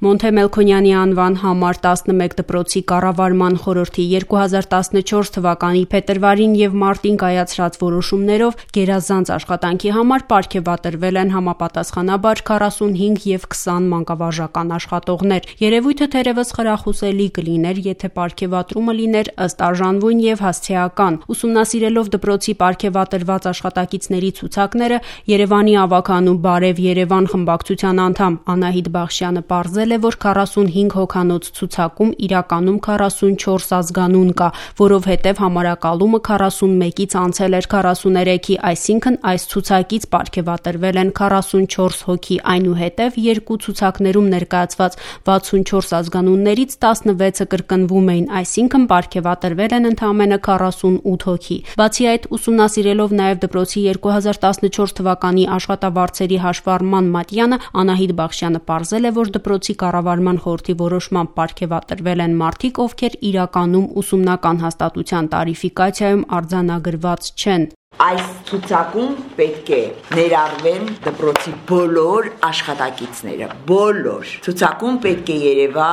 Մոնթե Մելքոնյանի անվան համար 11 դպրոցի կառավարման խորհրդի 2014 թվականի փետրվարին եւ մարտին կայացրած որոշումներով գերազանց աշխատանքի համար պարգևատրվել են համապատասխանաբար 45 եւ 20 մանկավարժական աշխատողներ։ Երևույթը թերևս խրախուսելի կլիներ, եթե պարգևատրումը լիներ ըստ արժանվույն եւ հասցեական։ Ուսումնասիրելով դպրոցի պարգևատրված աշխատակիցների ցուցակները, Երևանի ավագանու Բարև Երևան խմբակցության անդամ Անահիտ Բախշյանը պարզել է, որ 45 հոգանոց ցուցակում իրականում 44 ազգանուն կա, որովհետև համարակալումը 41-ից անցել էր 43-ի, այսինքն այս ցուցակից պարգևատրվել են 44 հոգի, այնուհետև երկու ցուցակներում ներկայացված 64 ազգանուններից 16-ը կրկնվում էին, այսինքն պարգևատրվել են ընդամենը 48 հոգի։ Բացի այդ, ուսումնասիրելով նաև դպրոցի 2014 թվականի աշխատավարձերի հաշվառման մատյանը, Անահիտ Բախշյանը պարզել է, որ դպրոցի կառավարման խորհրդի որոշմամբ պարգևատրվել են մարդիկ, ովքեր իրականում ուսումնական հաստատության տարիֆիկացիայում արձանագրված չեն։ Այս ցուցակում պետք է ներառվեն դպրոցի բոլոր աշխատակիցները, բոլոր։ Ցուցակում պետք է երևա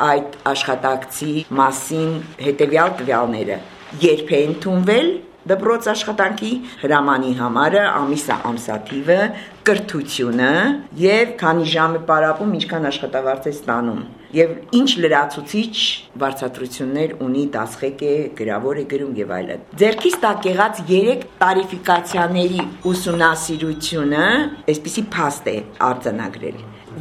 այդ աշխատակցի մասին հետևյալ տվյալները. երբ է ընդունվել դպրոց աշխատանքի հրամանի համարը, ամիսը, ամսաթիվը, կրթությունը եւ քանի ժամ է պարապում, ինչքան աշխատավարձ է ստանում եւ ինչ լրացուցիչ վարձատրություններ ունի, դասղեկ է, գրավոր է գրում եւ այլն։ Ձեռքից տակ եղած 3 տարիֆիկացիաների ուսումնասիրությունը այսպիսի փաստ է արձանագրել,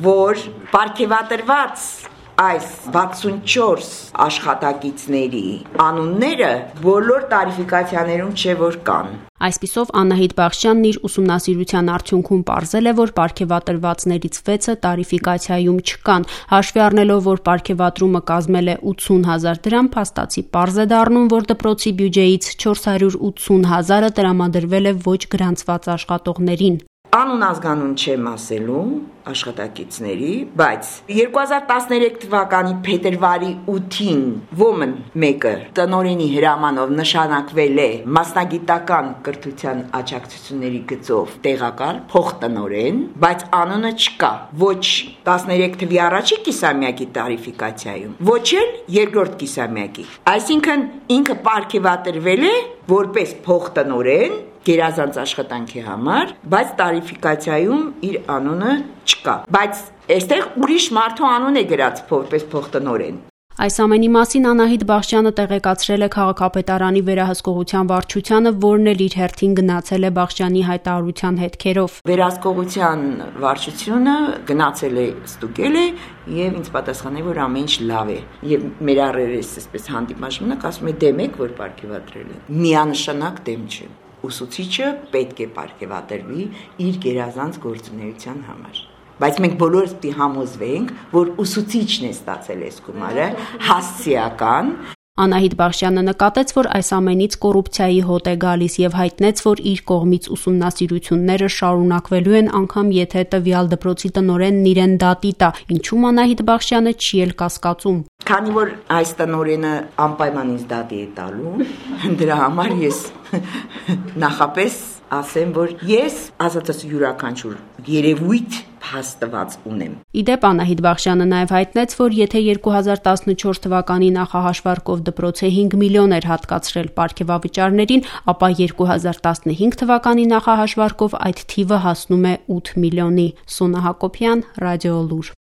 որ պարգևատրված այս 64 աշխատակիցների անունները բոլոր տարիֆիկացիաներում չէ որ կան։ Այսպիսով Անահիտ Բախշյանն իր ուսումնասիրության արդյունքում պարզել է, որ պարգևատրվածներից 6-ը տարիֆիկացիայում չկան, հաշվի առնելով, որ պարգևատրումը կազմել է 80,000 դրամ, փաստացի պարզ է դառնում, որ դպրոցի բյուջեից 480,000-ը տրամադրվել է ոչ գրանցված աշխատողներին։ Անուն ազգանուն չեմ ասելու աշխատակիցների, բայց 2013 թվականի փետրվարի 8-ին ոմն մեկը տնօրենի հրամանով նշանակվել է մասնագիտական կրթության աջակցությունների գծով տեղակալ փոխտնօրեն, բայց անունը չկա ոչ 13 թվականի առաջի կիսամյակի տարիֆիկացիայում, ոչ էլ երկրորդ կիսամյակի։ Այսինքն ինքը պարգևատրվել է որպես փոխտնօրեն գերազանց աշխատանքի համար, բայց տարիֆիկացիայում իր անունը չկա։ Բայց այստեղ ուրիշ մարդու անուն է գրած որպես փոխտնօրեն։ Այս ամենի մասին Անահիտ Բախշյանը տեղեկացրել է քաղաքապետարանի վերահսկողության վարչությանը, որն էլ իր հերթին գնացել է Բախշյանի հայտարարության հետքերով։ Վերահսկողության վարչությունը գնացել է, ստուգել է եւ ինձ պատասխանել, որ ամեն ինչ լավ է։ Եվ մեր առերես այսպես հանդիպման ժամանակ ասում է դեմ եք, որ պարգևատրել են։ Միանշանակ դեմ չեմ։ Ուսուցիչը պետք է պարգևատրվի իր գերազանց գործունեության համար։ Բայց մենք բոլորս պիտի համոզվենք, որ ուսուցիչն է ստացել այս գումարը հասցեական։ Անահիտ Բախշյանը նկատեց, որ այս ամենից կոռուպցիայի հոտ է գալիս եւ հայտնեց, որ իր կողմից ուսումնասիրությունները շարունակվելու են, անգամ եթե տվյալ դպրոցի տնօրենն իրեն դատի տա, ինչու Անահիտ Բախշյանը չի էլ կասկածում։ Քանի որ այս տնօրենը անպայման ինձ դատի է տալու, դրա համար ես նախապես ասեմ, որ ես ասածս յուրաքանչյուր երևույթ փաստված ունեմ։ Իդեպ Անահիտ Բախշյանը նաև հայտնեց, որ եթե 2014 թվականի նախահաշվարկով դպրոցը 5 միլիոն էր հատկացրել պարգևավճարներին, ապա 2015 թվականի նախահաշվարկով այդ թիվը հասնում է 8 միլիոնի։ Սոնա Հակոբյան, Ռադիոլուր։